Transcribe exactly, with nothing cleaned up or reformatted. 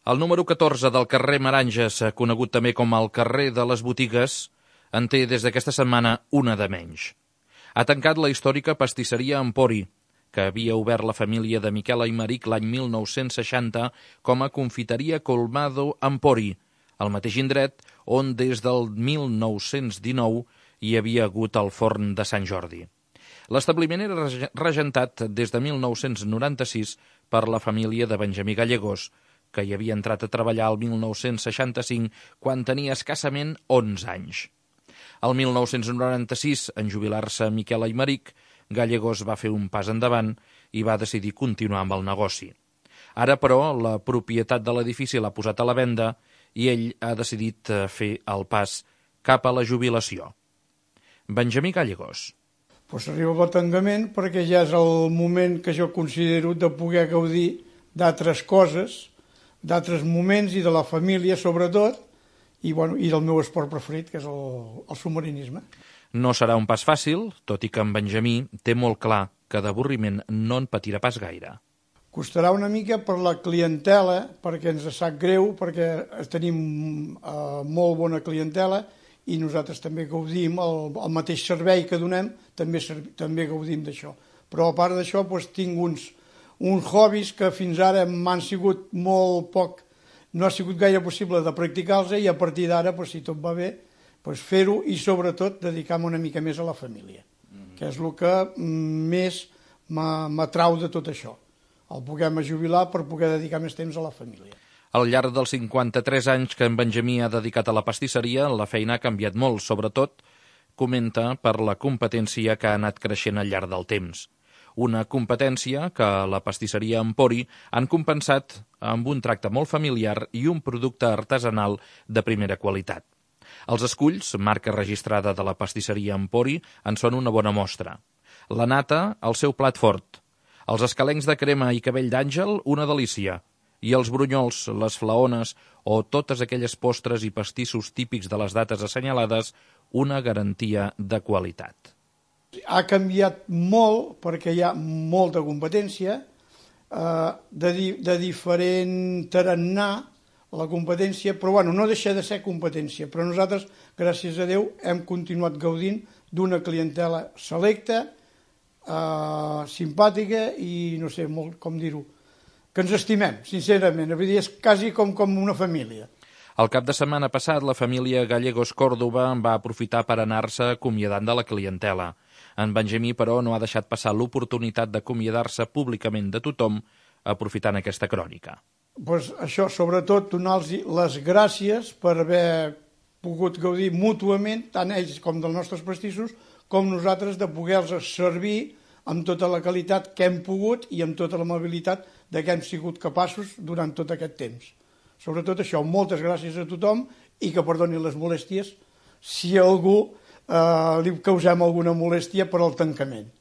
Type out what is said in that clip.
El número catorze del carrer Meranges, conegut també com el carrer de les botigues, en té des d'aquesta setmana una de menys. Ha tancat la històrica pastisseria Empori, que havia obert la família de Miquel Aymeric l'any mil nou-cents seixanta com a confiteria Colmado Empori, al mateix indret on des del mil nou-cents dinou hi havia hagut el forn de Sant Jordi. L'establiment era regentat des de mil nou-cents noranta-sis per la família de Benjamí Gallegos, que hi havia entrat a treballar el mil nou-cents seixanta-cinc quan tenia escassament onze anys. El mil nou-cents noranta-sis, en jubilar-se Miquel Aymeric, Gallegos va fer un pas endavant i va decidir continuar amb el negoci. Ara, però, la propietat de l'edifici l'ha posat a la venda i ell ha decidit fer el pas cap a la jubilació. Benjamí Gallegos. Pues arriba el tancament perquè ja és el moment que jo considero de poder gaudir d'altres coses, d'altres moments i de la família sobretot, i, bueno, i del meu esport preferit, que és el, el submarinisme. No serà un pas fàcil, tot i que en Benjamí té molt clar que d'avorriment no en patirà pas gaire. Costarà una mica per la clientela, perquè ens sap greu, perquè tenim eh, molt bona clientela i nosaltres també gaudim, el, el mateix servei que donem, també, també gaudim d'això. Però a part d'això doncs, tinc uns, uns hobbies que fins ara m'han sigut molt poc, no ha sigut gaire possible de practicar-los i a partir d'ara, doncs, si tot va bé, doncs, fer-ho i sobretot dedicar-me una mica més a la família, mm-hmm. que és el que més m'atrau de tot això, el poder-me jubilar per poder dedicar més temps a la família. Al llarg dels cinquanta-tres anys que en Benjamí ha dedicat a la pastisseria, la feina ha canviat molt, sobretot, comenta, per la competència que ha anat creixent al llarg del temps. Una competència que la pastisseria Empori han compensat amb un tracte molt familiar i un producte artesanal de primera qualitat. Els esculls, marca registrada de la pastisseria Empori, en són una bona mostra. La nata, el seu plat fort. Els escalencs de crema i cabell d'àngel, una delícia. I els brunyols, les flaones o totes aquelles postres i pastissos típics de les dates assenyalades, una garantia de qualitat. Ha canviat molt perquè hi ha molta competència, eh, de, di de diferent tarannà la competència, però bueno, no deixa de ser competència. Però nosaltres, gràcies a Déu, hem continuat gaudint d'una clientela selecta, eh, simpàtica i no sé molt com dir-ho, que ens estimem, sincerament. Vull dir, és quasi com, com una família. El cap de setmana passat, la família Gallegos Còrdova va aprofitar per anar-se acomiadant de la clientela. En Benjamí, però, no ha deixat passar l'oportunitat d'acomiadar-se públicament de tothom aprofitant aquesta crònica. Pues això, sobretot, donar-los les gràcies per haver pogut gaudir mútuament, tant ells com dels nostres pastissos, com nosaltres, de poder-los servir amb tota la qualitat que hem pogut i amb tota l'amabilitat de què hem sigut capaços durant tot aquest temps. Sobretot això, moltes gràcies a tothom i que perdoni les molèsties si a algú eh, li causem alguna molèstia per al tancament.